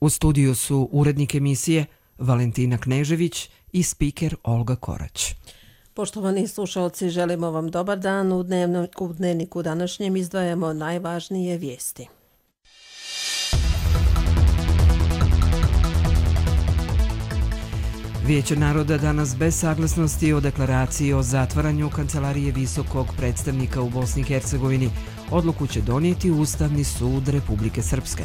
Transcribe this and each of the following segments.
U studiju su urednik emisije Valentina Knežević i spiker Olga Korać. Poštovani slušalci, želimo vam dobar dan. U dnevniku današnjem izdvajamo najvažnije vijesti. Vijeće naroda danas bez saglasnosti o deklaraciji o zatvaranju Kancelarije visokog predstavnika u Bosni i Hercegovini odluku će donijeti Ustavni sud Republike Srpske.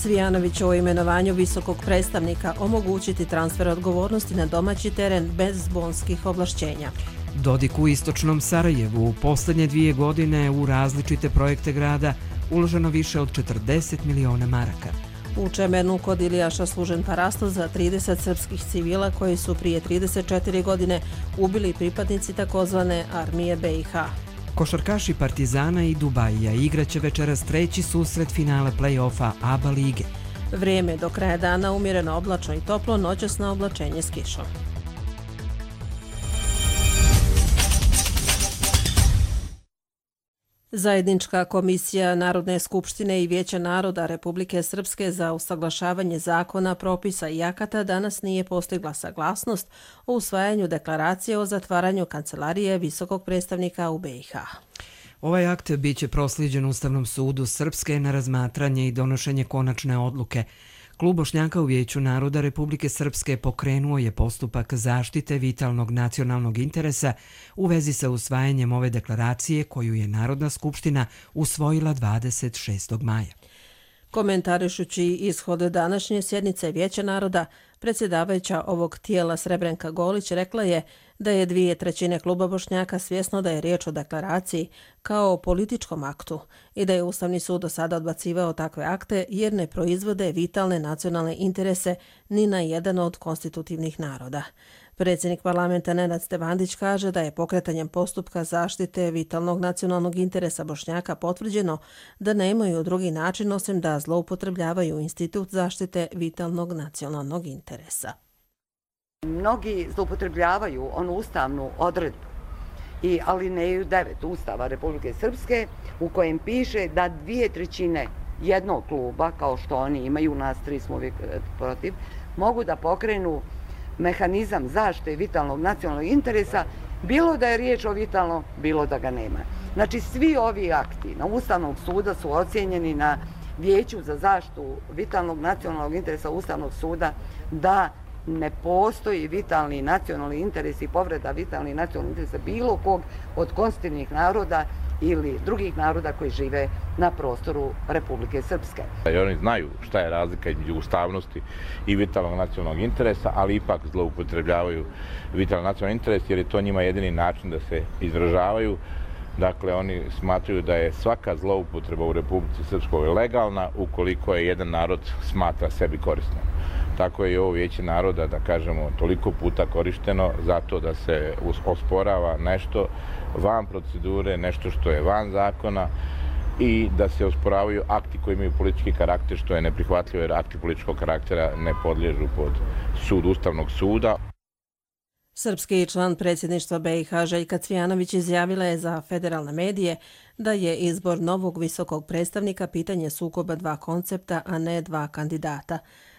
Cvijanović o imenovanju visokog predstavnika omogućiti transfer odgovornosti na domaći teren bez bonskih ovlašćenja. Dodik u istočnom Sarajevu u posljednje 2 godine u različite projekte grada uloženo više od 40 miliona maraka. U Čemernu kod Ilijaša služen parasto za 30 srpskih civila koji su prije 34 godine ubili pripadnici takozvane armije BiH. Košarkaši Partizana i Dubajija igraće večeras 3. susret finale play-offa ABA lige. Vrijeme do kraja dana umjereno oblačno i toplo, noćasno oblačenje s kišom. Zajednička komisija Narodne skupštine i Vijeća naroda Republike Srpske za usaglašavanje zakona, propisa i akata danas nije postigla saglasnost o usvajanju deklaracije o zatvaranju Kancelarije visokog predstavnika u BiH. Ovaj akt biće proslijeđen Ustavnom sudu Srpske na razmatranje i donošenje konačne odluke. Klub Bošnjaka u Vijeću naroda Republike Srpske pokrenuo je postupak zaštite vitalnog nacionalnog interesa u vezi sa usvajanjem ove deklaracije koju je Narodna skupština usvojila 26. maja. Komentarišući ishod današnje sjednice Vijeća naroda, predsjedavajuća ovog tijela Srebrenka Golić rekla je da je 2/3 kluba Bošnjaka svjesno da je riječ o deklaraciji kao o političkom aktu i da je Ustavni sud do sada odbacivao takve akte jer ne proizvode vitalne nacionalne interese ni na jedan od konstitutivnih naroda. Predsjednik parlamenta Nenad Stevandić kaže da je pokretanjem postupka zaštite vitalnog nacionalnog interesa Bošnjaka potvrđeno da nemaju drugi način osim da zloupotrebljavaju institut zaštite vitalnog nacionalnog interesa. Mnogi zloupotrebljavaju onu ustavnu odredbu i alineju 9 Ustava Republike Srpske u kojem piše da 2/3 jednog kluba, kao što oni imaju, nas 3 smo uvijek protiv, mogu da pokrenu mehanizam zaštite vitalnog nacionalnog interesa, bilo da je riječ o vitalnom, bilo da ga nema. Znači, svi ovi akti na Ustavnog suda su ocijenjeni na Vijeću za zaštitu vitalnog nacionalnog interesa Ustavnog suda da ne postoji vitalni nacionalni interes i povreda vitalnih nacionalnih interesa bilo kog od konstitutivnih naroda ili drugih naroda koji žive na prostoru Republike Srpske. Oni znaju šta je razlika između ustavnosti i vitalnog nacionalnog interesa, ali ipak zloupotrebljavaju vitalni nacionalni interes jer je to njima jedini način da se izražavaju. Dakle, oni smatraju da je svaka zloupotreba u Republici Srpskoj legalna ukoliko je jedan narod smatra sebi korisnom. Tako je i ovo Vijeće naroda, da kažemo, toliko puta korišteno zato da se osporava nešto van procedure, nešto što je van zakona i da se osporavaju akti koji imaju politički karakter, što je neprihvatljivo jer akti političkog karaktera ne podliježu pod sud Ustavnog suda. Srpski član predsjedništva BiH Željka Cvijanović izjavila je za federalne medije da je izbor novog visokog predstavnika pitanje sukoba 2 koncepta, a ne 2 kandidata.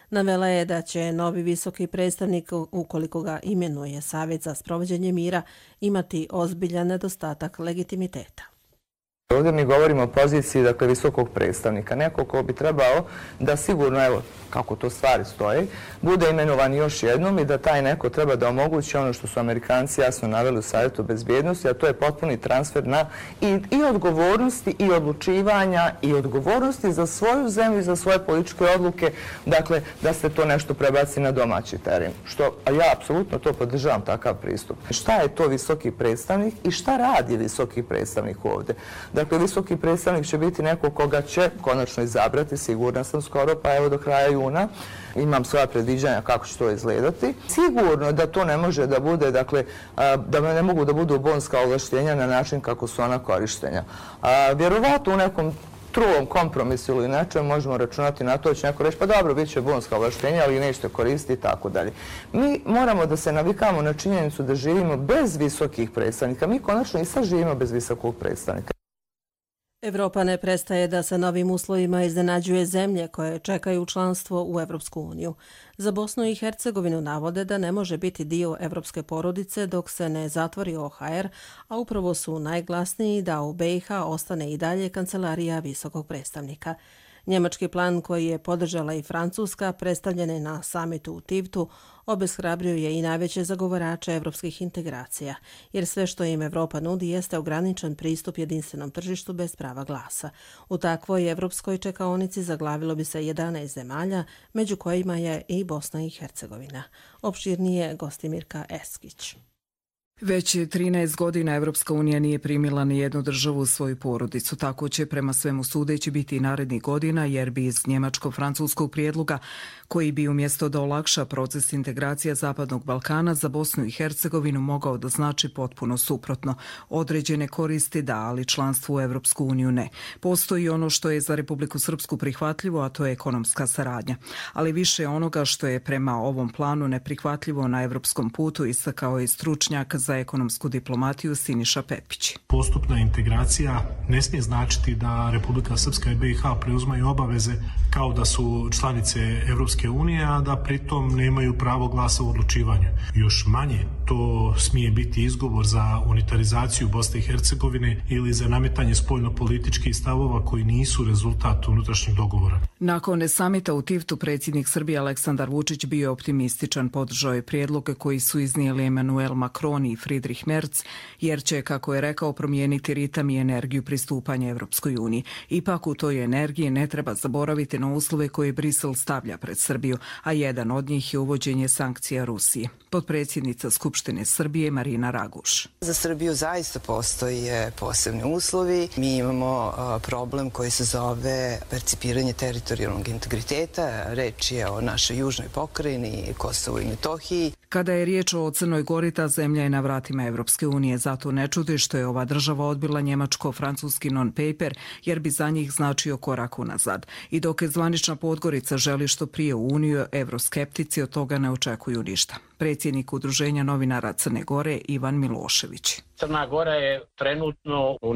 Navela je da će novi visoki predstavnik, ukoliko ga imenuje Savjet za sprovođenje mira, imati ozbiljan nedostatak legitimiteta. Ovdje mi govorimo o poziciji visokog predstavnika, neko ko bi trebao da sigurno, evo kako to stvari stoje, bude imenovan još jednom i da taj neko treba da omogući ono što su Amerikanci jasno naveli u Savjetu bezbjednosti, a to je potpuni transfer na i odgovornosti i odlučivanja i odgovornosti za svoju zemlju i za svoje političke odluke, dakle da se to nešto prebaci na domaći teren. A ja apsolutno to podržavam, takav pristup. Šta je to visoki predstavnik i šta radi visoki predstavnik ovdje? Dakle, visoki predstavnik će biti neko koga će konačno izabrati, sigurna sam skoro, pa evo do kraja juna. Imam svoja predviđanja kako će to izgledati. Sigurno da to ne može da bude, dakle, da ne mogu da budu bonska ovlaštenja na način kako su ona korištenja. Vjerovatno u nekom trulom kompromisu ili nečem možemo računati na to, će neko reći pa dobro, bit će bonska ovlaštenja, ali nećete koristiti i tako dalje. Mi moramo da se navikamo na činjenicu da živimo bez visokih predstavnika. Mi konačno i sad živimo bez visokog predstavnika. Evropa ne prestaje da sa novim uslovima iznenađuje zemlje koje čekaju članstvo u Evropsku uniju. Za Bosnu i Hercegovinu navode da ne može biti dio evropske porodice dok se ne zatvori OHR, a upravo su najglasniji da u BiH ostane i dalje kancelarija visokog predstavnika. Njemački plan koji je podržala i Francuska, predstavljen je na samitu u Tivtu, obeshrabrio je i najveće zagovarače evropskih integracija, jer sve što im Evropa nudi jeste ograničen pristup jedinstvenom tržištu bez prava glasa. U takvoj evropskoj čekaonici zaglavilo bi se 11 zemalja, među kojima je i Bosna i Hercegovina. Opširnije Gostimirka Eskić. Već 13 godina Evropska unija nije primila ni jednu državu u svoju porodicu. Tako će prema svemu sudeći biti i narednih godina, jer bi iz njemačko-francuskog prijedloga, koji bi umjesto da olakša proces integracija Zapadnog Balkana za Bosnu i Hercegovinu mogao da znači potpuno suprotno. Određene koristi da, ali članstvo u Evropsku uniju ne. Postoji ono što je za Republiku Srpsku prihvatljivo, a to je ekonomska saradnja. Ali više onoga što je prema ovom planu neprihvatljivo na evropskom putu istakao je stručnjak za ekonomsku diplomatiju Siniša Pepić. Postupna integracija ne smije značiti da Republika Srpska i BiH preuzmaju obaveze kao da su članice Evropske unije, a da pritom nemaju pravo glasa u odlučivanju. Još manje to smije biti izgovor za unitarizaciju Bosne i Hercegovine ili za nametanje spoljno-političkih stavova koji nisu rezultat unutrašnjeg dogovora. Nakon samita u Tivtu predsjednik Srbije Aleksandar Vučić bio je optimističan, podržao je prijedloge koji su iznijeli Emmanuel Macron i Friedrich Merz, jer će, kako je rekao, promijeniti ritam i energiju pristupanja Evropskoj uniji. Ipak u toj energiji ne treba zaboraviti na uslove koje Brisel stavlja pred Srbiju, a jedan od njih je uvođenje sankcija Rusiji. Potpredsjednica Skupštine Srbije Marina Raguš. Za Srbiju zaista postoje posebni uslovi. Mi imamo problem koji se zove percipiranje teritorijalnog integriteta. Reč je o našoj južnoj pokrajini, Kosovu i Metohiji. Kada je riječ o Crnoj Gori, ta zemlja je na vratima Evropske unije. Zato ne čudi što je ova država odbila njemačko-francuski non-paper, jer bi za njih značio korak unazad. I dok je zvanična Podgorica želi što prije u Uniju, evroskeptici od toga ne očekuju ništa. Predsjednik Udruženja novinara Crne Gore Ivan Milošević. Crna Gora je trenutno u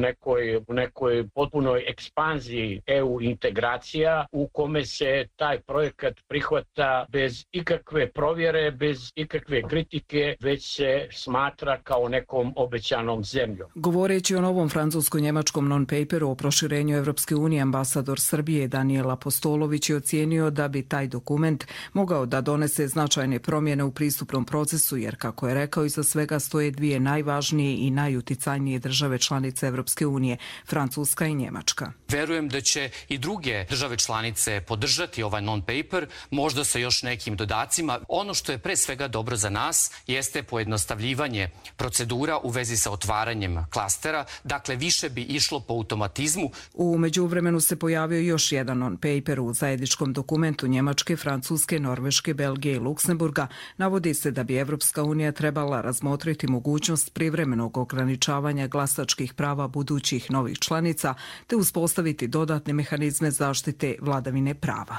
nekoj potpunoj ekspanziji EU integracija u kome se taj projekat prihvata bez ikakve provjere, bez ikakve kritike, već se smatra kao nekom obećanom zemljom. Govoreći o novom francusko-njemačkom non-paperu o proširenju Evropske unije, ambasador Srbije Danijel Apostolović je ocijenio da bi taj dokument mogao da donese značajne promjene u pristupnom procesu, jer, kako je rekao, iza svega stoje dvije najvažnije i najuticajnije države članice Evropske unije, Francuska i Njemačka. Verujem da će i druge države članice podržati ovaj non-paper, možda sa još nekim dodacima. Ono što je pre svega dobro za nas jeste pojednostavljivanje procedura u vezi sa otvaranjem klastera, dakle više bi išlo po automatizmu. U međuvremenu se pojavio još jedan non-paper u zajedničkom dokumentu Njemačke, Francuske, Norveške, Belgije i Luksemburga. Navodi se da bi Evropska unija trebala razmotriti mogućnost privremenog ograničavanja glasačkih prava budućih novih članica te uspostaviti dodatne mehanizme zaštite vladavine prava.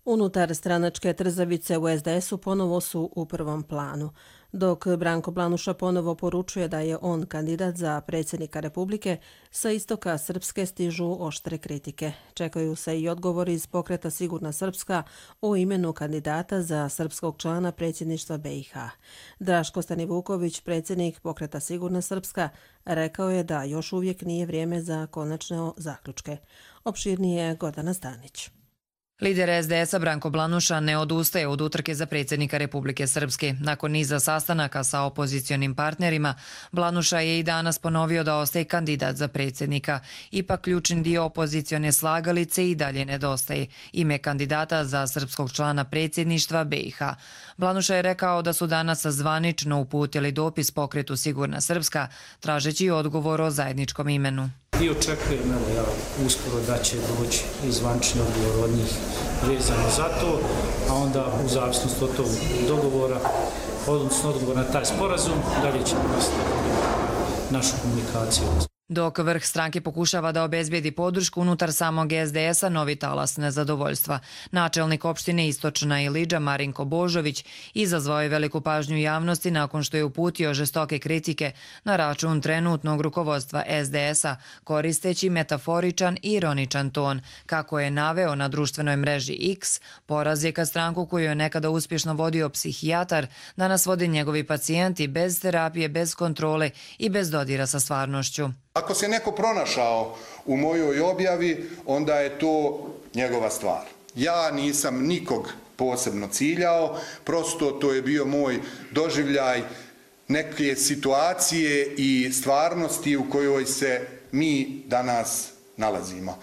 Unutar stranačke trzavice u SDS-u ponovo su u prvom planu. Dok Branko Blanuša ponovo poručuje da je on kandidat za predsjednika Republike, sa istoka Srpske stižu oštre kritike. Čekaju se i odgovori iz pokreta Sigurna Srpska o imenu kandidata za srpskog člana predsjedništva BiH. Draško Stanivuković, predsjednik pokreta Sigurna Srpska, rekao je da još uvijek nije vrijeme za konačne zaključke. Opširnije Gordana Stanić. Lider SDS-a Branko Blanuša ne odustaje od utrke za predsjednika Republike Srpske. Nakon niza sastanaka sa opozicionim partnerima, Blanuša je i danas ponovio da ostaje kandidat za predsjednika. Ipak ključni dio opozicione slagalice i dalje nedostaje. Ime kandidata za srpskog člana predsjedništva BiH. Blanuša je rekao da su danas zvanično uputili dopis pokretu Sigurna Srpska, tražeći odgovor o zajedničkom imenu. I očekujem, uskoro da će doći i zvanični odgovor od njih vezano za to, a onda u zavisnosti od tog dogovora, odnosno odgovor na taj sporazum, dalje ćemo nastaviti našu komunikaciju. Dok vrh stranke pokušava da obezbijedi podršku unutar samog SDS-a, novi talas nezadovoljstva. Načelnik opštine Istočna Ilidža Marinko Božović izazvao je veliku pažnju javnosti nakon što je uputio žestoke kritike na račun trenutnog rukovodstva SDS-a, koristeći metaforičan i ironičan ton. Kako je naveo na društvenoj mreži X, poraz je kad stranku koju je nekada uspješno vodio psihijatar, danas vode njegovi pacijenti bez terapije, bez kontrole i bez dodira sa stvarnošću. Ako se neko pronašao u mojoj objavi, onda je to njegova stvar. Ja nisam nikog posebno ciljao, prosto to je bio moj doživljaj neke situacije i stvarnosti u kojoj se mi danas nalazimo.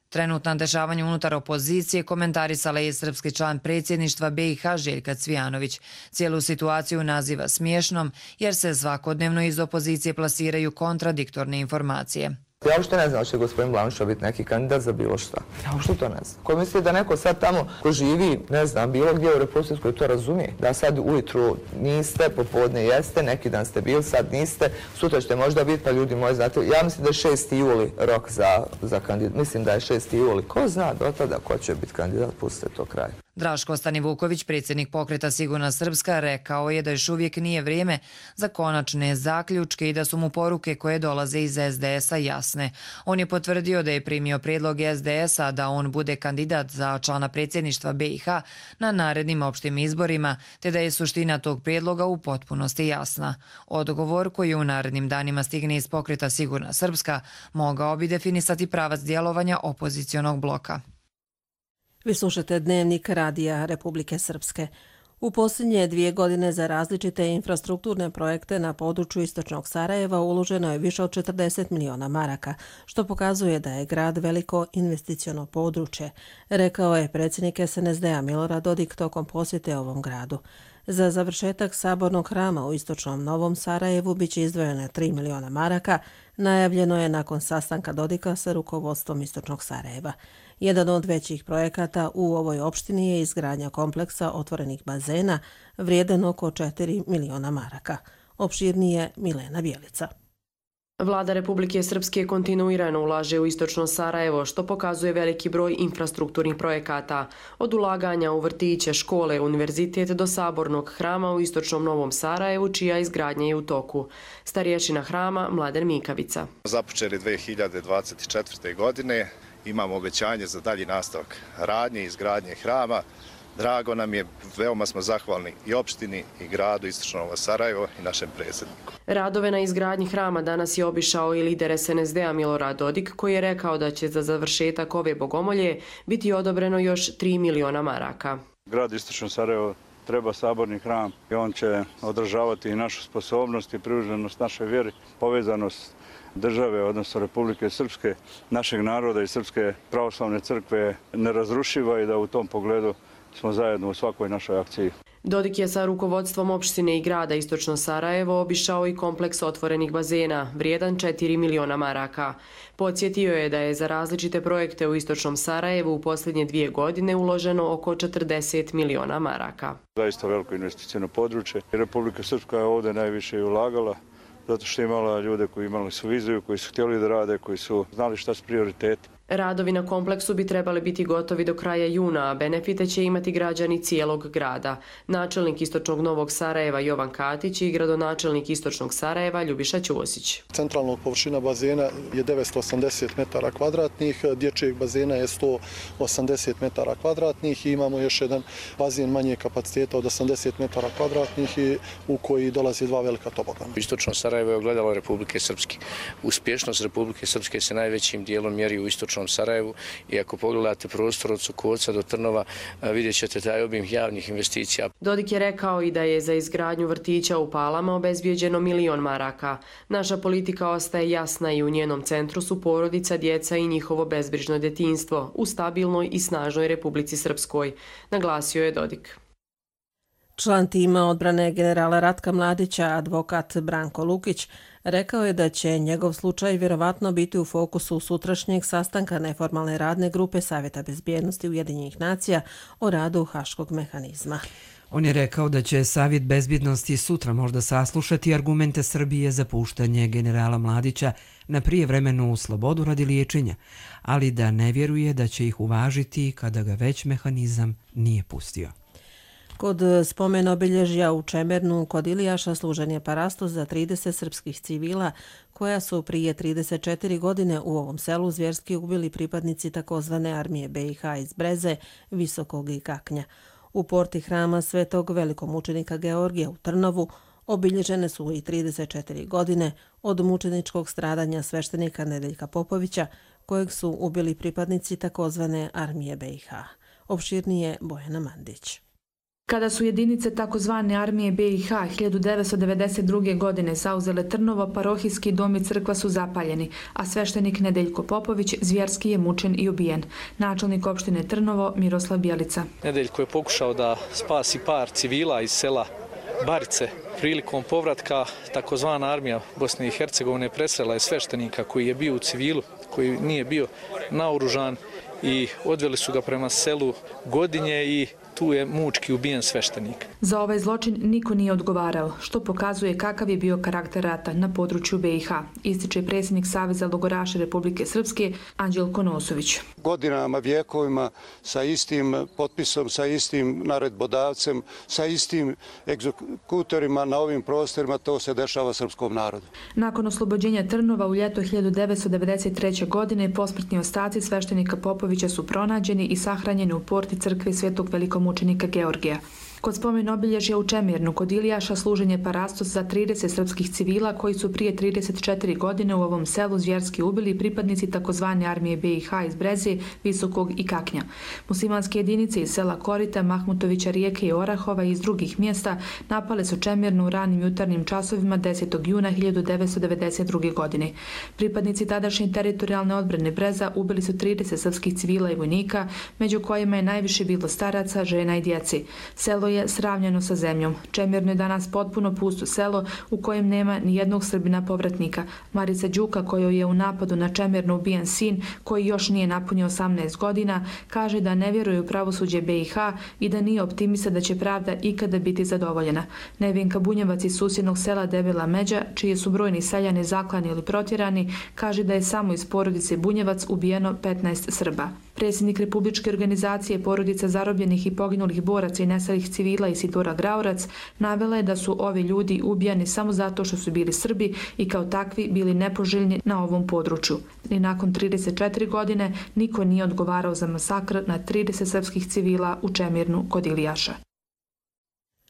Trenutna dešavanja unutar opozicije komentarisala je srpski član predsjedništva BiH Željka Cvijanović. Cijelu situaciju naziva smiješnom jer se svakodnevno iz opozicije plasiraju kontradiktorne informacije. Ja uopšte ne znam da će gospodin Blanuša biti neki kandidat za bilo šta. Ja uopšte to ne znam. Ko misli da neko sad tamo ko živi, ne znam, bilo gdje u Republici Srpskoj to razumije. Da sad ujutru niste, popodne jeste, neki dan ste bili, sad niste, sutra ćete možda biti, pa ljudi moji znate. Ja mislim da je 6. juli rok za kandidat. Mislim da je 6. juli. Ko zna do tada ko će biti kandidat, pustite to kraj. Draško Stanivuković, predsjednik pokreta Sigurna Srpska, rekao je da još uvijek nije vrijeme za konačne zaključke i da su mu poruke koje dolaze iz SDS-a jasne. On je potvrdio da je primio prijedlog SDS-a da on bude kandidat za člana predsjedništva BiH na narednim opštim izborima, te da je suština tog prijedloga u potpunosti jasna. Odgovor koji u narednim danima stigne iz pokreta Sigurna Srpska mogao bi definisati pravac djelovanja opozicionog bloka. Vi slušate Dnevnik Radija Republike Srpske. U posljednje 2 godine za različite infrastrukturne projekte na području istočnog Sarajeva uloženo je više od 40 miliona maraka, što pokazuje da je grad veliko investiciono područje, rekao je predsjednik SNSD-a Milorad Dodik tokom posjete ovom gradu. Za završetak sabornog hrama u istočnom Novom Sarajevu biće izdvojeno 3 miliona maraka, najavljeno je nakon sastanka Dodika sa rukovodstvom istočnog Sarajeva. Jedan od većih projekata u ovoj opštini je izgradnja kompleksa otvorenih bazena vrijedan oko 4 miliona maraka. Opširnije Milena Bjelica. Vlada Republike Srpske kontinuirano ulaže u istočno Sarajevo, što pokazuje veliki broj infrastrukturnih projekata. Od ulaganja u vrtiće, škole, univerzitet do sabornog hrama u istočnom Novom Sarajevu, čija izgradnja je u toku. Starješina hrama Mladen Mikavica. Započeli 2024. godine. Imamo obećanje za dalji nastavak radnje i izgradnje hrama. Drago nam je, veoma smo zahvalni i opštini i gradu Istočno Novo Sarajevo i našem predsjedniku. Radove na izgradnji hrama danas je obišao i lider SNSD-a Milorad Dodik, koji je rekao da će za završetak ove bogomolje biti odobreno još 3 miliona maraka. Grad Istočno Sarajevo treba saborni hram i on će održavati i našu sposobnost i privrženost našoj vjeri, povezanost države, odnosno Republike Srpske, našeg naroda i Srpske pravoslavne crkve nerazrušiva i da u tom pogledu smo zajedno u svakoj našoj akciji. Dodik je sa rukovodstvom opštine i grada Istočno Sarajevo obišao i kompleks otvorenih bazena, vrijedan 4 miliona maraka. Podsjetio je da je za različite projekte u Istočnom Sarajevu u posljednje 2 godine uloženo oko 40 miliona maraka. Zaista veliko investicijno područje. Republika Srpska je ovdje najviše i ulagala, zato što je imala ljude koji imali su viziju, koji su htjeli da rade, koji su znali šta su prioriteti. Radovi na kompleksu bi trebali biti gotovi do kraja juna, a benefite će imati građani cijelog grada. Načelnik Istočnog Novog Sarajeva Jovan Katić i gradonačelnik Istočnog Sarajeva Ljubiša Ćosić. Centralna površina bazena je 980 metara kvadratnih, dječjeg bazena je 180 metara kvadratnih i imamo još jedan bazen manje kapaciteta od 80 metara kvadratnih u koji dolazi 2 velika tobogana. Istočno Sarajevo je ogledalo Republike Srpske. Uspješnost Republike Srpske se najvećim dijelom mjeri u Istočnom Sarajevu i ako pogledate prostor od Sukovca do Trnova vidjet ćete taj obim javnih investicija. Dodik je rekao i da je za izgradnju vrtića u Palama obezbijeđeno 1 milion maraka. Naša politika ostaje jasna i u njenom centru su porodica, djeca i njihovo bezbrižno djetinjstvo u stabilnoj i snažnoj Republici Srpskoj, naglasio je Dodik. Član tima odbrane generala Ratka Mladića, advokat Branko Lukić, rekao je da će njegov slučaj vjerovatno biti u fokusu sutrašnjeg sastanka neformalne radne grupe Savjeta bezbjednosti Ujedinjenih nacija o radu Haškog mehanizma. On je rekao da će Savjet bezbjednosti sutra možda saslušati argumente Srbije za puštanje generala Mladića na prijevremenu slobodu radi liječenja, ali da ne vjeruje da će ih uvažiti kada ga već mehanizam nije pustio. Kod spomen obilježja u Čemernu kod Ilijaša služen je parastos za 30 srpskih civila koja su prije 34 godine u ovom selu zvjerski ubili pripadnici takozvane armije BiH iz Breze, Visokog i Kaknja. U porti hrama Svetog velikomučenika Georgija u Trnovu obilježene su i 34 godine od mučeničkog stradanja sveštenika Nedeljka Popovića, kojeg su ubili pripadnici takozvane armije BiH. Opširnije Bojana Mandić. Kada su jedinice takozvane armije BiH 1992. godine zauzele Trnovo, parohijski dom i crkva su zapaljeni, a sveštenik Nedeljko Popović zvjerski je mučen i ubijen. Načelnik opštine Trnovo Miroslav Bjelica. Nedeljko je pokušao da spasi par civila iz sela Barice. Prilikom povratka takozvana armija Bosne i Hercegovine presrela je sveštenika koji je bio u civilu, koji nije bio naoružan i odveli su ga prema selu Godinje i tu je mučki ubijen sveštenik. Za ovaj zločin niko nije odgovarao, što pokazuje kakav je bio karakter rata na području BiH, ističe predsjednik Saveza logoraša Republike Srpske Anđelko Nosović. Godinama, vjekovima, sa istim potpisom, sa istim naredbodavcem, sa istim egzekutorima na ovim prostorima, to se dešava srpskom narodu. Nakon oslobođenja Trnova u ljeto 1993. godine posmrtni ostaci sveštenika Popovića su pronađeni i sahranjeni u porti crkve Svetog velikomučenika Georgija. Kod spomen obilježja u Čemirnu kod Ilijaša služen je parastos za 30 srpskih civila koji su prije 34 godine u ovom selu zvjerski ubili pripadnici takozvane armije BiH iz Breze, Visokog i Kaknja. Muslimanske jedinice iz sela Korita, Mahmutovića, Rijeke i Orahova i iz drugih mjesta napale su Čemirnu u ranim jutarnjim časovima 10. juna 1992. godine. Pripadnici tadašnje teritorijalne odbrane Breza ubili su 30 srpskih civila i vojnika, među kojima je najviše bilo staraca, žena i djeci. Selo je sravnjeno sa zemljom. Čemirno je danas potpuno pusto selo u kojem nema ni jednog Srbina povratnika. Marica Đuka, kojoj je u napadu na Čemirno ubijen sin, koji još nije napunio 18 godina, kaže da ne vjeruje u pravosuđe BiH i da nije optimista da će pravda ikada biti zadovoljena. Nevenka Bunjevac iz susjednog sela Debela Međa, čiji su brojni seljani zaklani ili protjerani, kaže da je samo iz porodice Bunjevac ubijeno 15 Srba. Predsjednik Republičke organizacije porodica zarobljenih i poginulih boraca i nestalih civila Isidora Graurac navela je da su ovi ljudi ubijani samo zato što su bili Srbi i kao takvi bili nepoželjni na ovom području. I nakon 34 godine niko nije odgovarao za masakr na 30 srpskih civila u Čemirnu kod Ilijaša.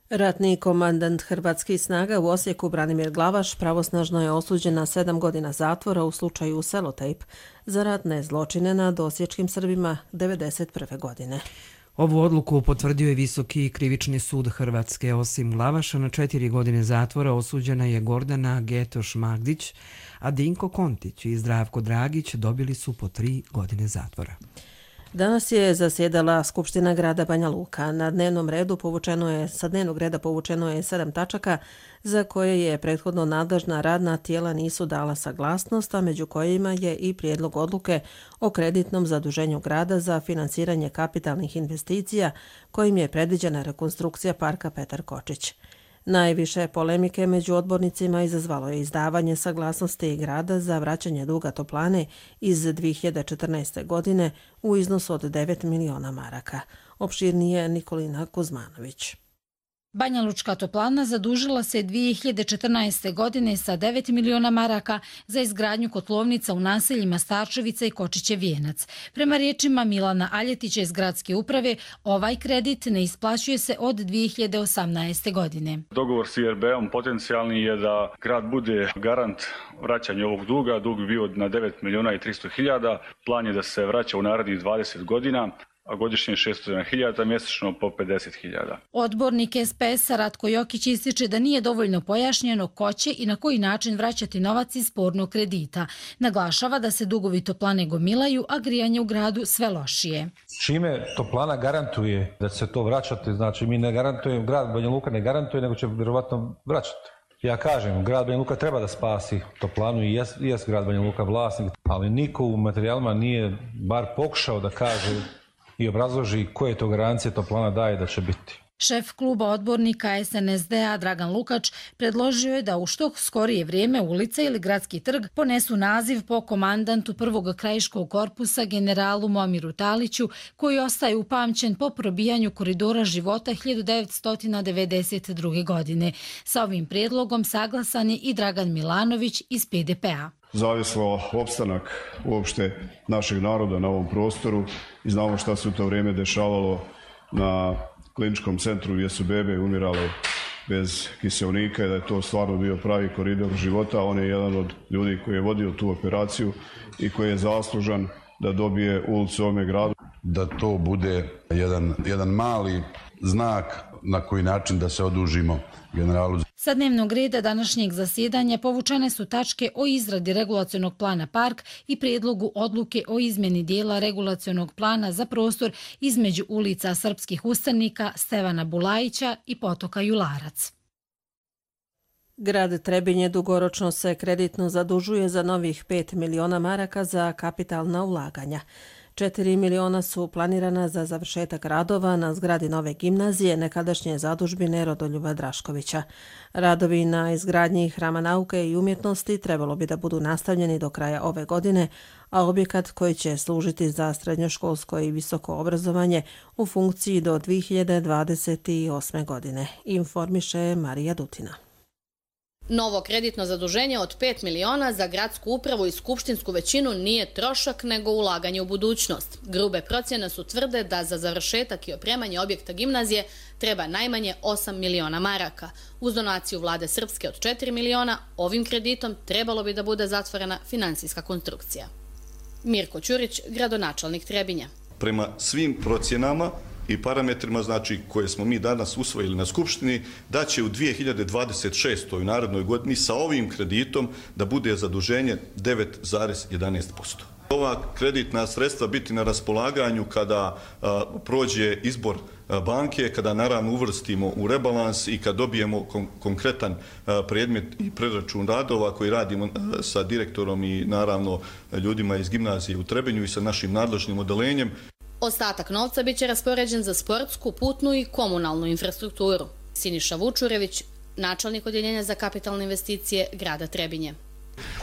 Ratni komandant hrvatskih snaga u Osijeku Branimir Glavaš pravosnažno je osuđen na 7 godina zatvora u slučaju Selotejp za ratne zločine nad osječkim Srbima 1991. godine. Ovu odluku potvrdio je Visoki krivični sud Hrvatske. Osim Glavaša na 4 godine zatvora osuđena je Gordana Getoš-Magdić, a Dinko Kontić i Zdravko Dragić dobili su po 3 godine zatvora. Danas je zasjedala Skupština grada Banja Luka. Sa dnevnog reda povučeno je 7 tačaka za koje je prethodno nadležna radna tijela nisu dala saglasnost, a među kojima je i prijedlog odluke o kreditnom zaduženju grada za financiranje kapitalnih investicija kojim je predviđena rekonstrukcija parka Petar Kočić. Najviše polemike među odbornicima izazvalo je izdavanje saglasnosti grada za vraćanje duga toplane iz 2014. godine u iznosu od 9 miliona maraka. Opširnije Nikolina Kuzmanović. Banja Lučka toplana zadužila se 2014. godine sa 9 miliona maraka za izgradnju kotlovnica u naseljima Starčevica i Kočiće Vijenac. Prema riječima Milana Aljetića iz gradske uprave, ovaj kredit ne isplaćuje se od 2018. godine. Dogovor s IRB-om potencijalni je da grad bude garant vraćanja ovog duga. Dug bi bio na 9 miliona i 300 hiljada. Plan je da se vraća u narednih 20 godina. a godišnje 600.000, mjesečno po 50.000. Odbornik SPS-a Ratko Jokić ističe da nije dovoljno pojašnjeno ko će i na koji način vraćati novac iz spornog kredita. Naglašava da se dugovi toplane gomilaju, a grijanje u gradu sve lošije. Čime toplana garantuje da će se to vraćati, znači mi ne garantujemo, grad Banja Luka ne garantuje, nego će vjerovatno vraćati. Ja kažem, grad Banja Luka treba da spasi toplanu i jest grad Banja Luka vlasnik, ali niko u materijalima nije bar pokušao da kaže i obrazloži koje to garancije toplana daje da će biti. Šef kluba odbornika SNSD-a Dragan Lukač predložio je da u što skorije vrijeme ulica ili gradski trg ponesu naziv po komandantu prvog krajiškog korpusa generalu Momiru Taliću, koji ostaje upamćen po probijanju koridora života 1992. godine. Sa ovim prijedlogom saglasan je i Dragan Milanović iz PDP-a. Zavislo opstanak uopšte našeg naroda na ovom prostoru i znamo šta se u to vrijeme dešavalo na kliničkom centru gdje su bebe umirale bez kiseonika i da je to stvarno bio pravi koridor života. On je jedan od ljudi koji je vodio tu operaciju i koji je zaslužan da dobije ulicu u ovome gradu. Da to bude jedan mali znak na koji način da se odužimo generalu. Sa dnevnog reda današnjeg zasjedanja povučene su tačke o izradi regulacionog plana park i prijedlogu odluke o izmjeni dijela regulacionog plana za prostor između ulica srpskih ustanika Stevana Bulajića i potoka Jularac. Grad Trebinje dugoročno se kreditno zadužuje za novih 5 miliona maraka za kapitalna ulaganja. 4 miliona su planirana za završetak radova na zgradi nove gimnazije nekadašnje zadužbine Rodoljuba Draškovića. Radovi na izgradnji Hrama nauke i umjetnosti trebalo bi da budu nastavljeni do kraja ove godine, a objekat koji će služiti za srednjoškolsko i visoko obrazovanje u funkciji do 2028. godine, informiše Marija Dutina. Novo kreditno zaduženje od 5 miliona za gradsku upravu i skupštinsku većinu nije trošak nego ulaganje u budućnost. Grube procjene su tvrde da za završetak i opremanje objekta gimnazije treba najmanje 8 miliona maraka. Uz donaciju vlade Srpske od 4 miliona, ovim kreditom trebalo bi da bude zatvorena finansijska konstrukcija. Mirko Ćurić, gradonačelnik Trebinja. Prema svim procjenama i parametrima, znači, koje smo mi danas usvojili na Skupštini, da će u 2026. u narednoj godini sa ovim kreditom da bude zaduženje 9,11%. Ova kreditna sredstva biti na raspolaganju kada prođe izbor banke, kada naravno uvrstimo u rebalans i kad dobijemo konkretan predmet i preračun radova koji radimo sa direktorom i naravno ljudima iz gimnazije u Trebinju i sa našim nadležnim odelenjem. Ostatak novca biće raspoređen za sportsku, putnu i komunalnu infrastrukturu. Siniša Vučurević, načelnik odjeljenja za kapitalne investicije grada Trebinje.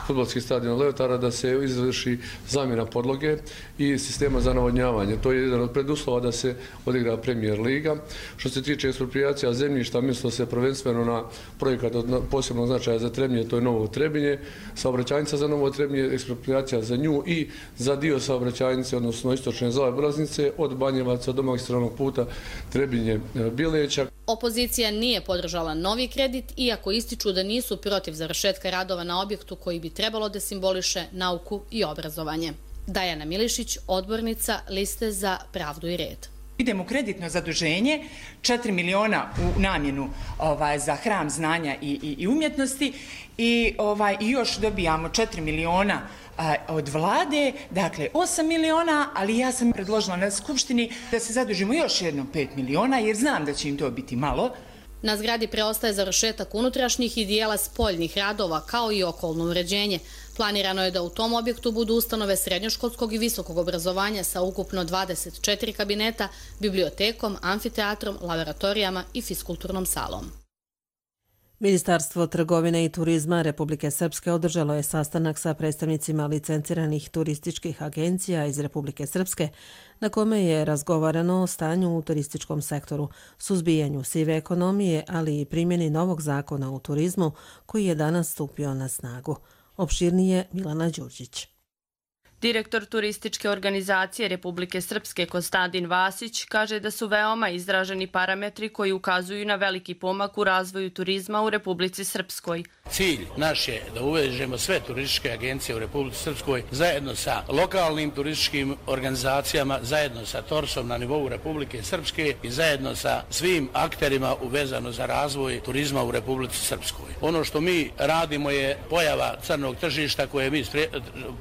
Fudbalski stadion Leotara da se izvrši zamjena podloge i sistema za navodnjavanje. To je jedan od preduslova da se odigra Premier Liga. Što se tiče eksproprijacija zemljišta, mislo se prvenstveno na projekat od posebnog značaja za Trebinje, to je Novo Trebinje, saobraćajnica za Novo Trebinje, eksproprijacija za nju i za dio saobraćajnice, odnosno istočne zaobilaznice od Banjevaca do magistralnog puta Trebinje-Bileća. Opozicija nije podržala novi kredit, iako ističu da nisu protiv završetka radova na objektu koji bi trebalo da simboliše nauku i obrazovanje. Dajana Milišić, odbornica Liste za pravdu i red. Idemo u kreditno zaduženje, 4 miliona u namjenu za hram znanja i umjetnosti i još dobijamo 4 miliona od vlade, dakle 8 miliona, ali ja sam predložila na Skupštini da se zadužimo još jednom 5 miliona, jer znam da će im to biti malo. Na zgradi preostaje završetak unutrašnjih i dijela spoljnih radova, kao i okolno uređenje. Planirano je da u tom objektu budu ustanove srednjoškolskog i visokog obrazovanja sa ukupno 24 kabineta, bibliotekom, amfiteatrom, laboratorijama i fiskulturnom salom. Ministarstvo trgovine i turizma Republike Srpske održalo je sastanak sa predstavnicima licenciranih turističkih agencija iz Republike Srpske, na kome je razgovarano o stanju u turističkom sektoru, suzbijanju sive ekonomije, ali i primjeni novog zakona u turizmu koji je danas stupio na snagu. Opširnije Milana Đurđić. Direktor turističke organizacije Republike Srpske Konstantin Vasić kaže da su veoma izraženi parametri koji ukazuju na veliki pomak u razvoju turizma u Republici Srpskoj. Cilj naš je da uvežemo sve turističke agencije u Republici Srpskoj zajedno sa lokalnim turističkim organizacijama, zajedno sa TORS-om na nivou Republike Srpske i zajedno sa svim akterima uvezano za razvoj turizma u Republici Srpskoj. Ono što mi radimo je pojava crnog tržišta koje mi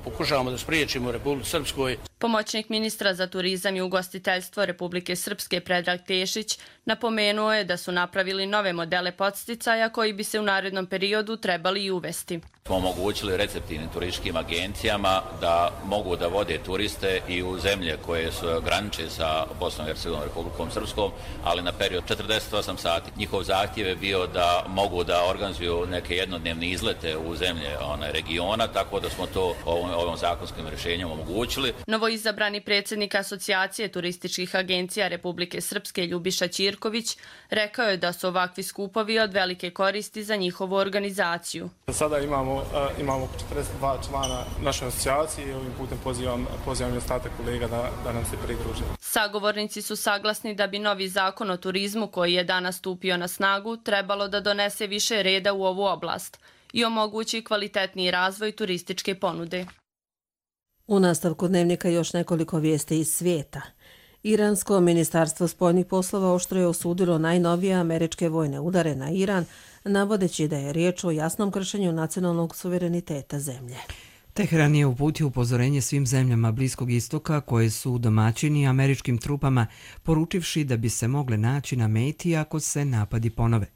pokušavamo da spriječimo u Republici Srpskoj. Pomoćnik ministra za turizam i ugostiteljstvo Republike Srpske Predrag Tešić napomenuo je da su napravili nove modele podsticaja koji bi se u narednom periodu trebali i uvesti. Smo omogućili receptivnim turističkim agencijama da mogu da vode turiste i u zemlje koje su graniče sa Bosnom i Hercegovinom, Republikom Srpskom, ali na period 48 sati. Njihov zahtjev je bio da mogu da organizuju neke jednodnevne izlete u zemlje regiona, tako da smo to ovim zakonskim rješenjem omogućili. Novoizabrani predsjednik Asocijacije turističkih agencija Republike Srpske Ljubiša Ćirković rekao je da su ovakvi skupovi od velike koristi za njihovu organizaciju. Sada imamo 42 člana naše asocijacije i ovim putem pozivam i ostatak kolega da nam se pridruže. Sagovornici su saglasni da bi novi zakon o turizmu koji je danas stupio na snagu trebalo da donese više reda u ovu oblast i omogući kvalitetniji razvoj turističke ponude. U nastavku dnevnika još nekoliko vijesti iz svijeta. Iransko ministarstvo spoljnih poslova oštro je osudilo najnovije američke vojne udare na Iran, navodeći da je riječ o jasnom kršenju nacionalnog suvereniteta zemlje. Teheran je uputio upozorenje svim zemljama Bliskog istoka koje su domaćini američkim trupama, poručivši da bi se mogle naći na meti ako se napadi ponove.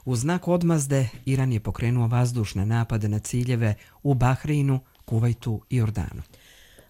U znak odmazde, Iran je pokrenuo vazdušne napade na ciljeve u Bahreinu, Kuvajtu i Jordanu.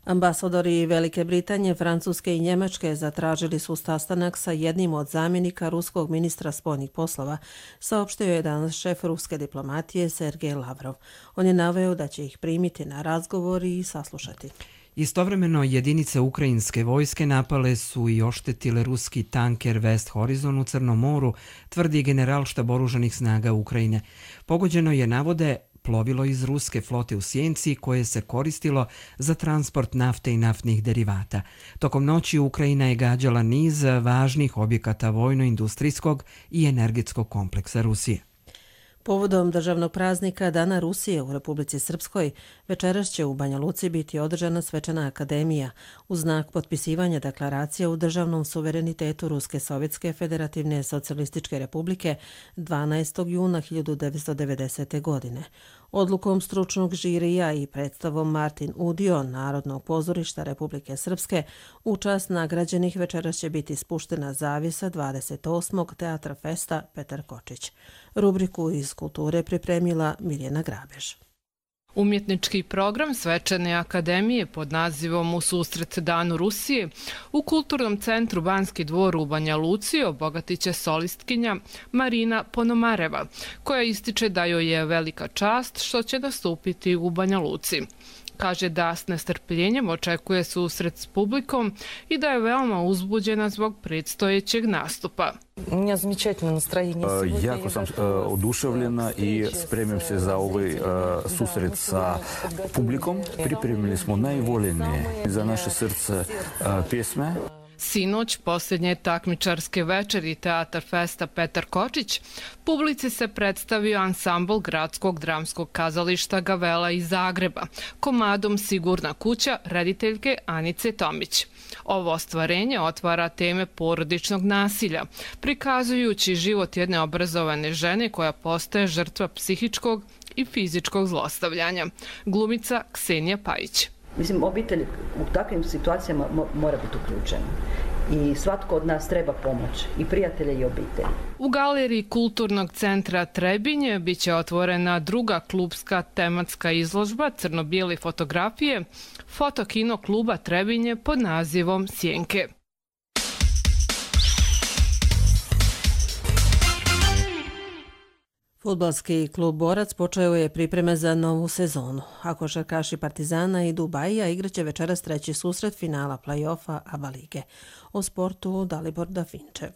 Ambasadori Velike Britanije, Francuske i Njemačke zatražili su sastanak sa jednim od zamjenika ruskog ministra spoljnih poslova, saopštio je danas šef ruske diplomatije Sergej Lavrov. On je naveo da će ih primiti na razgovor i saslušati. Istovremeno, jedinice ukrajinske vojske napale su i oštetile ruski tanker West Horizon u Crnom moru, tvrdi generalštab oružanih snaga Ukrajine. Pogođeno je, navode, plovilo iz ruske flote u Sjenci koje se koristilo za transport nafte i naftnih derivata. Tokom noći Ukrajina je gađala niz važnih objekata vojno-industrijskog i energetskog kompleksa Rusije. Povodom državnog praznika Dana Rusije u Republici Srpskoj, večeras će u Banja Luci biti održana svečana akademija u znak potpisivanja deklaracije u državnom suverenitetu Ruske Sovjetske Federativne socijalističke republike 12. juna 1990. godine. Odlukom stručnog žirija i predstavom Martin Udio Narodnog pozorišta Republike Srpske u čast nagrađenih večeras će biti spuštena zavjesa 28. Teatra Festa Petar Kočić. Rubriku iz kulture pripremila Miljana Grabež. Umjetnički program Svečane akademije pod nazivom U susret Danu Rusije u Kulturnom centru Banski dvor u Banja Luci obogatit će solistkinja Marina Ponomareva, koja ističe da joj je velika čast što će nastupiti u Banja Luci. Kaže da s nestrpljenjem očekuje susret s publikom i da je veoma uzbuđena zbog predstojećeg nastupa. Jako sam oduševljena i spremim se za ovaj susret sa publikom. Pripremili smo najvoljenije za naše srce pjesme. Sinoć, posljednje takmičarske večeri Teatar Festa Petar Kočić, publici se predstavio ansambl Gradskog dramskog kazališta Gavela iz Zagreba, komadom Sigurna kuća rediteljke Anice Tomić. Ovo ostvarenje otvara teme porodičnog nasilja, prikazujući život jedne obrazovane žene koja postaje žrtva psihičkog i fizičkog zlostavljanja. Glumica Ksenija Pajić. Mislim, obitelj u takvim situacijama mora biti uključena i svatko od nas treba pomoć, i prijatelje i obitelji. U galeriji Kulturnog centra Trebinje biće otvorena druga klubska tematska izložba crno-bijele fotografije Fotokino kluba Trebinje pod nazivom Sjenke. Fudbalski klub Borac počeo je pripreme za novu sezonu. A košarkaši Partizana i Dubajija igraće večeras treći susret finala play-offa ABA lige. O sportu Dalibor Dafinčev.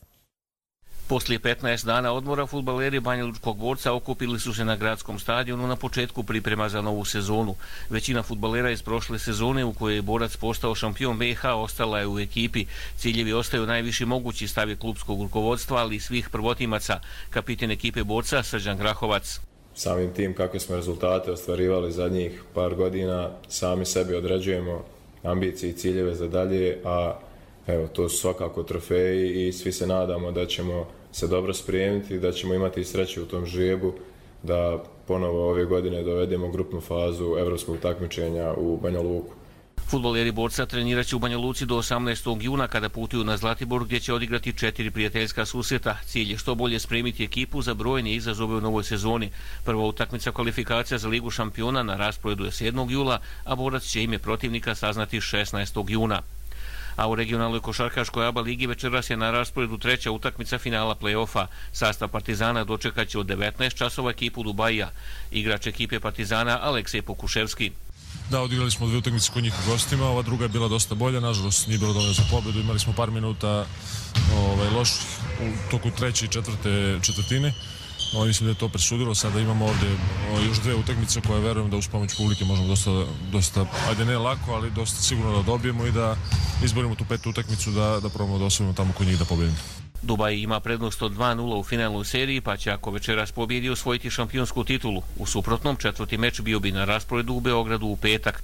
Poslije 15 dana odmora fudbaleri Banjalučkog Borca okupili su se na gradskom stadionu na početku priprema za novu sezonu. Većina fudbalera iz prošle sezone u kojoj je Borac postao šampion BiH ostala je u ekipi. Ciljevi ostaju najviši mogući, stav je klubskog rukovodstva, ali i svih prvotimaca. Kapitan ekipe Borca Srđan Grahovac. samim tim kakve smo rezultate ostvarivali zadnjih par godina, sami sebi određujemo ambicije i ciljeve za dalje, a evo, to su svakako trofeji i svi se nadamo da ćemo se dobro spremiti, da ćemo imati sreće u tom žrebu, da ponovo ove godine dovedemo grupnu fazu evropskog takmičenja u Banja Luku. Fudbaleri Borca trenirat će u Banja Luci do 18. juna kada putuju na Zlatibor gdje će odigrati 4 prijateljska susreta. Cilj je što bolje spremiti ekipu za brojne izazove u novoj sezoni. Prva utakmica kvalifikacija za Ligu šampiona na rasporedu je 7. jula, a Borac će ime protivnika saznati 16. juna. A u regionalnoj košarkaškoj ABA ligi večeras je na rasporedu treća utakmica finala play-offa. Sastav Partizana dočekat će od 19 časova ekipu Dubajija. Igrač ekipe Partizana Aleksej Pokuševski. Da, odigrali smo 2 utakmice kod njih u gostima, ova druga je bila dosta bolja, nažalost nije bilo dovoljno za pobedu, imali smo par minuta loših u toku treće i četvrte četvrtine. Mislim da je to presudilo, sada imamo ovdje još 2 utakmice koje verujem da uz pomoć publike možemo dosta, ajde ne lako, ali dosta sigurno da dobijemo i da izborimo tu 5. utakmicu da probamo da osvojimo tamo kod njih da pobedimo. Dubaj ima prednost od 2-0 u finalnoj seriji, pa će ako večeras pobjedi osvojiti šampionsku titulu. U suprotnom, 4. meč bio bi na rasporedu u Beogradu u petak.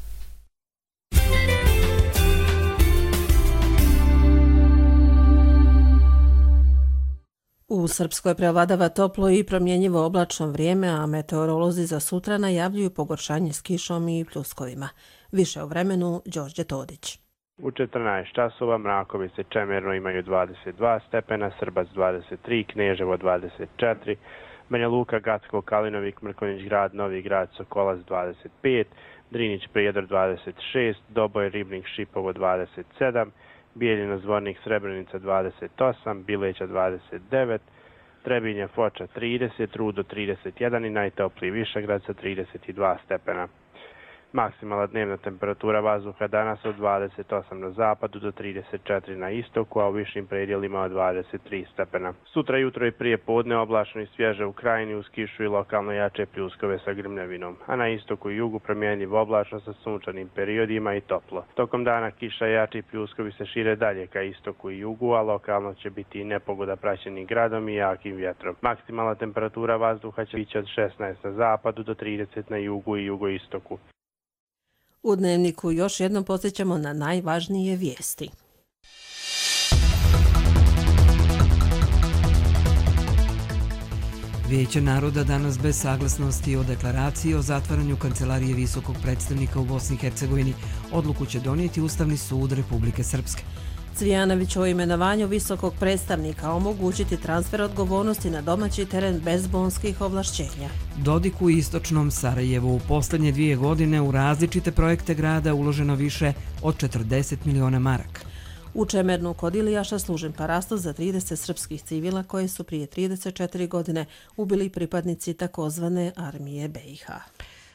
U Srpskoj prevladava toplo i promjenjivo oblačno vrijeme, a meteorolozi za sutra najavljuju pogoršanje s kišom i pljuskovima. Više o vremenu, Đorđe Todić. U 14 časova Mrakovice Čemerno imaju 22 stepena, Srbac 23, Kneževo 24, Banja Luka, Gacko, Kalinovik, Mrkonjić Grad, Novi Grad, Sokolac 25, Drinić Prijedor 26, Doboj, Ribnik, Šipovo 27, Bijeljina, Zvornik, Srebrenica 28, Bileća 29, Trebinje, Foča 30, Rudo 31 i najtopliji Višegrad sa 32 stepena. Maksimalna dnevna temperatura vazduha danas od 28 na zapadu do 34 na istoku, a u višim predjelima od 23 stepena. Sutra jutro i prije podne oblačno i svježe u krajini uz kišu i lokalno jače pljuskove sa grmljavinom, a na istoku i jugu promjenjivo oblačno sa sunčanim periodima i toplo. Tokom dana kiša i jači pljuskovi se šire dalje ka istoku i jugu, a lokalno će biti i nepogoda praćenim gradom i jakim vjetrom. Maksimalna temperatura vazduha će biti od 16 na zapadu do 30 na jugu i jugoistoku. U Dnevniku još jednom podsjećamo na najvažnije vijesti. Vijeće naroda danas bez saglasnosti o deklaraciji o zatvaranju Kancelarije visokog predstavnika u Bosni i Hercegovini odluku će donijeti Ustavni sud Republike Srpske. Cvijanović o imenovanju visokog predstavnika omogućiti transfer odgovornosti na domaći teren bez bonskih ovlašćenja. Dodik u istočnom Sarajevu u posljednje 2 godine u različite projekte grada uloženo više od 40 miliona maraka. U Čemernu kod Ilijaša služen parasto za 30 srpskih civila koje su prije 34 godine ubili pripadnici takozvane armije BiH.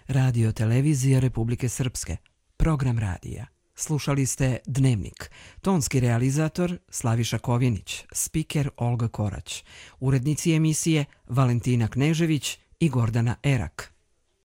Radio televizija Republike Srpske. Program radija. Slušali ste Dnevnik. Tonski realizator Slaviša Kovjenić, spiker Olga Korać, urednici emisije Valentina Knežević i Gordana Erak.